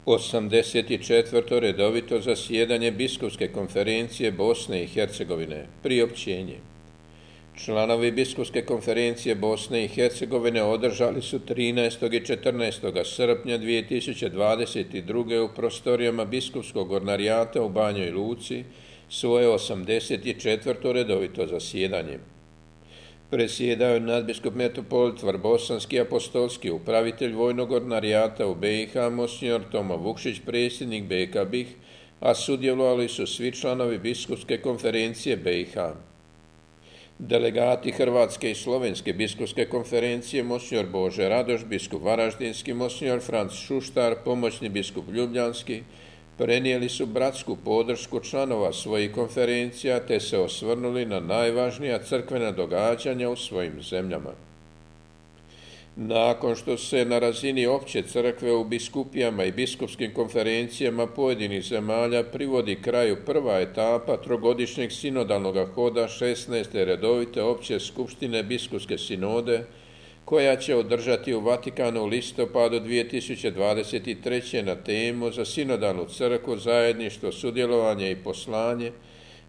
84. redovito zasjedanje Biskupske konferencije Bosne i Hercegovine. Priopćenje. Članovi Biskupske konferencije Bosne i Hercegovine održali su 13. i 14. srpnja 2022. u prostorijama Biskupskog ordinarijata u Banjoj Luci svoje 84. redovito zasjedanje. Predsjedao je nadbiskup metropolit Vrbosanski apostolski upravitelj vojnog ordinarijata u BiH, monsignor Tomo Vukšić, predsjednik BK BiH, a sudjelovali su svi članovi Biskupske konferencije BiH. Delegati Hrvatske i Slovenske biskupske konferencije, monsignor Bože Radoš, biskup Varaždinski, monsignor Franc Šuštar, pomoćni biskup Ljubljanski, prenijeli su bratsku podršku članova svojih konferencija te se osvrnuli na najvažnija crkvena događanja u svojim zemljama. Nakon što se na razini opće crkve u biskupijama i biskupskim konferencijama pojedinih zemalja privodi kraju prva etapa trogodišnjeg sinodalnog hoda 16. redovite opće skupštine biskupske sinode, koja će održati u Vatikanu u listopadu 2023. na temu za sinodalnu crkvu, zajedništvo, sudjelovanje i poslanje,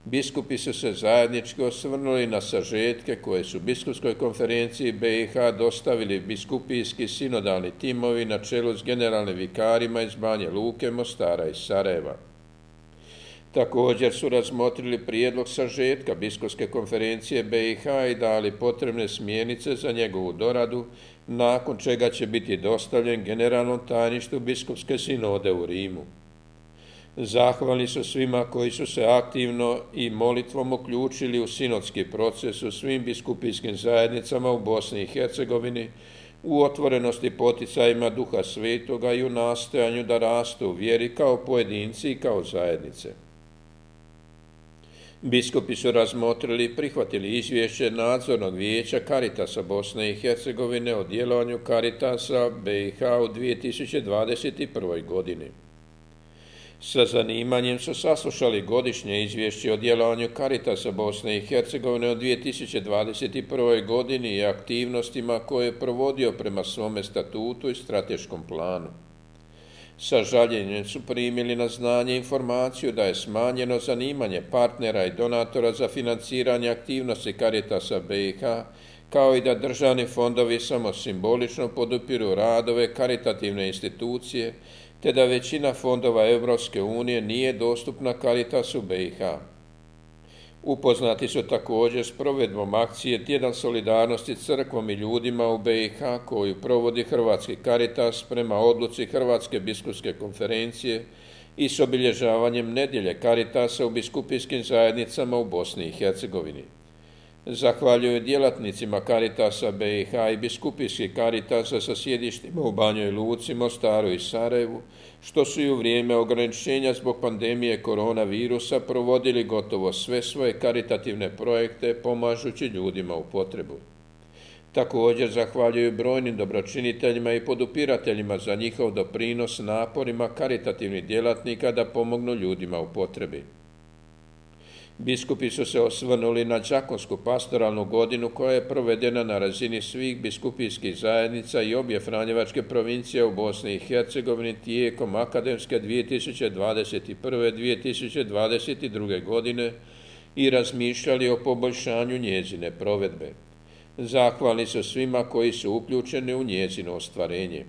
biskupi su se zajednički osvrnuli na sažetke koje su Biskupskoj konferenciji BiH dostavili biskupijski sinodalni timovi na čelu s generalnim vikarima iz Banje Luke, Mostara i Sarajeva. Također su razmotrili prijedlog sažetka Biskupske konferencije BiH i dali potrebne smjernice za njegovu doradu, nakon čega će biti dostavljen generalnom tajništvu Biskupske sinode u Rimu. Zahvalni su svima koji su se aktivno i molitvom uključili u sinodski proces u svim biskupijskim zajednicama u Bosni i Hercegovini, u otvorenosti poticajima Duha Svetoga i u nastojanju da rastu u vjeri kao pojedinci i kao zajednice. Biskupi su razmotrili i prihvatili izvješće Nadzornog vijeća Caritasa Bosne i Hercegovine o djelovanju Caritasa BiH u 2021. godini. Sa zanimanjem su saslušali godišnje izvješće o djelovanju Caritasa Bosne i Hercegovine u 2021. godini i aktivnostima koje je provodio prema svome statutu i strateškom planu. Sa žaljenjem su primili na znanje informaciju da je smanjeno zanimanje partnera i donatora za financiranje aktivnosti Caritasa BiH, kao i da državni fondovi samo simbolično podupiru radove karitativne institucije, te da većina fondova Europske unije nije dostupna Caritasu BiH. Upoznati su također s provedbom akcije Tjedan solidarnosti crkvom i ljudima u BiH koju provodi Hrvatski Caritas prema odluci Hrvatske biskupske konferencije i s obilježavanjem nedjelje Caritasa u biskupijskim zajednicama u Bosni i Hercegovini. Zahvaljuju djelatnicima Caritasa BiH i biskupijskih Caritasa sa sjedištima u Banjoj Luci, Mostaru i Sarajevu, što su i u vrijeme ograničenja zbog pandemije koronavirusa provodili gotovo sve svoje karitativne projekte pomažući ljudima u potrebu. Također zahvaljuju brojnim dobročiniteljima i podupirateljima za njihov doprinos naporima karitativnih djelatnika da pomognu ljudima u potrebi. Biskupi su se osvrnuli na đakonsku pastoralnu godinu koja je provedena na razini svih biskupijskih zajednica i obje franjevačke provincije u Bosni i Hercegovini tijekom akademske 2021-2022. godine i razmišljali o poboljšanju njezine provedbe. Zahvalni su svima koji su uključeni u njezino ostvarenje.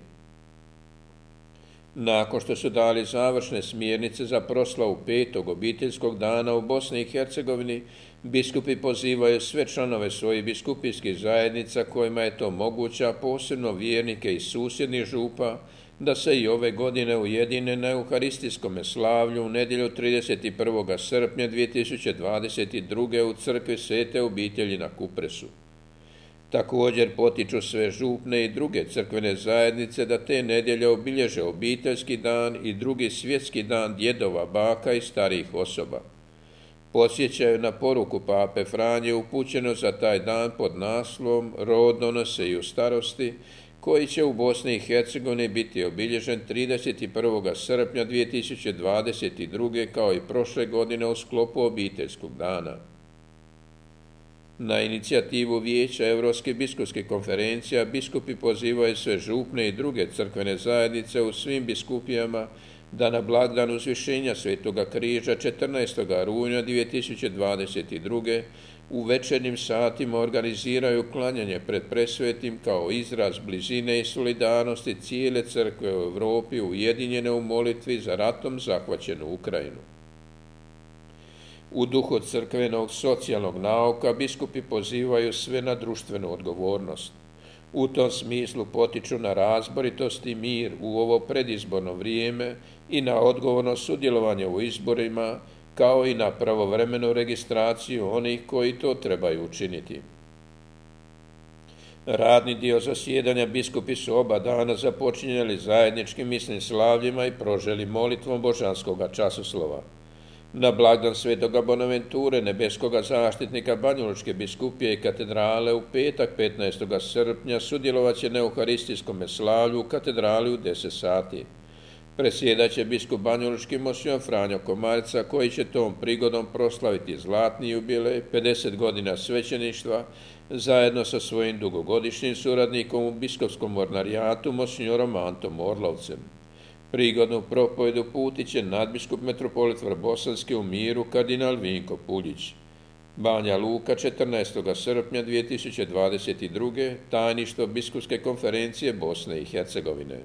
Nakon što su dali završne smjernice za proslavu 5. obiteljskog dana u Bosni i Hercegovini, biskupi pozivaju sve članove svojih biskupijskih zajednica kojima je to moguće, a posebno vjernike iz susjednih župa, da se i ove godine ujedine na euharistijskom slavlju u nedjelju 31. srpnja 2022. u crkvi Svete obitelji na Kupresu. Također potiču sve župne i druge crkvene zajednice da te nedjelje obilježe obiteljski dan i drugi svjetski dan djedova, baka i starijih osoba. Podsjećaju na poruku pape Franje upućeno za taj dan pod naslovom Rod donose i u starosti, koji će u Bosni i Hercegovini biti obilježen 31. srpnja 2022. kao i prošle godine u sklopu obiteljskog dana. Na inicijativu Vijeća Europskih biskupskih konferencija biskupi pozivaju sve župne i druge crkvene zajednice u svim biskupijama da na blagdan Uzvišenja Svetoga križa 14. rujna 2022. u večernjim satima organiziraju klanjanje pred presvetim kao izraz blizine i solidarnosti cijele crkve u Europi ujedinjene u molitvi za ratom zahvaćenu Ukrajinu. U duhu crkvenog socijalnog nauka biskupi pozivaju sve na društvenu odgovornost. U tom smislu potiču na razboritost i mir u ovo predizborno vrijeme i na odgovorno sudjelovanje u izborima, kao i na pravovremenu registraciju onih koji to trebaju učiniti. Radni dio zasjedanja biskupi su oba dana započinjali zajedničkim misnim slavljima i proželi molitvom božanskoga časoslova. Na blagdan Svetoga Bonaventure, nebeskoga zaštitnika Banjalučke biskupije i katedrale u petak 15. srpnja sudjelovat će na euharistijskom slavlju u katedrali u 10 sati. Presjedat će biskup Banjalučki monsinjor Franjo Komarica, koji će tom prigodom proslaviti zlatni jubilej, 50 godina svećeništva, zajedno sa svojim dugogodišnjim suradnikom u biskupskom ordinarijatu monsinjorom Antom Orlovcem. Prigodnu propovedu uputit će nadbiskup metropolit Vrbosanski u Miru kardinal Vinko Puljić. Banja Luka 14. srpnja 2022. tajništvo biskupske konferencije Bosne i Hercegovine.